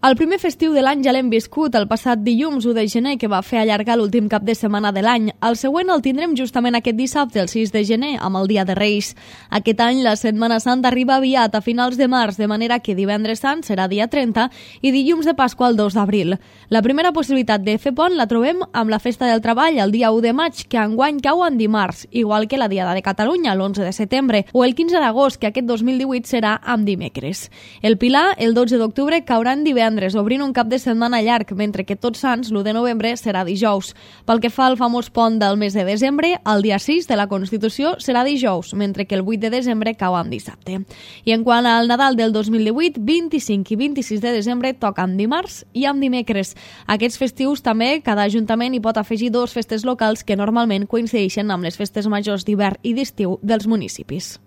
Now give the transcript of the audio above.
El primer festiu de l'any ja l'hem viscut el passat dilluns 1 de gener, que va fer allargar l'últim cap de setmana de l'any. El següent el tindrem justament aquest dissabte, el 6 de gener, amb el Dia de Reis. Aquest any la Setmana Santa arriba aviat, a finals de març, de manera que divendres sant serà dia 30 i dilluns de Pasqua el 2 d'abril. La primera possibilitat de fer pont la trobem amb la Festa del Treball el dia 1 de maig, que enguany cau en dimarts, igual que la Diada de Catalunya l'11 de setembre, o el 15 d'agost, que aquest 2018 serà amb dimecres. El Pilar, el 12 d'octubre, caurà en divendres, obrint un cap de setmana llarg, mentre que Tots Sants, l'1 de novembre, serà dijous. Pel que fa al famós pont del mes de desembre, el dia 6 de la Constitució serà dijous, mentre que el 8 de desembre cau en dissabte. I en quant al Nadal del 2018, 25 i 26 de desembre toca amb dimarts i amb dimecres. Aquests festius també, cada ajuntament hi pot afegir 2 festes locals que normalment coincideixen amb les festes majors d'hivern i d'estiu dels municipis.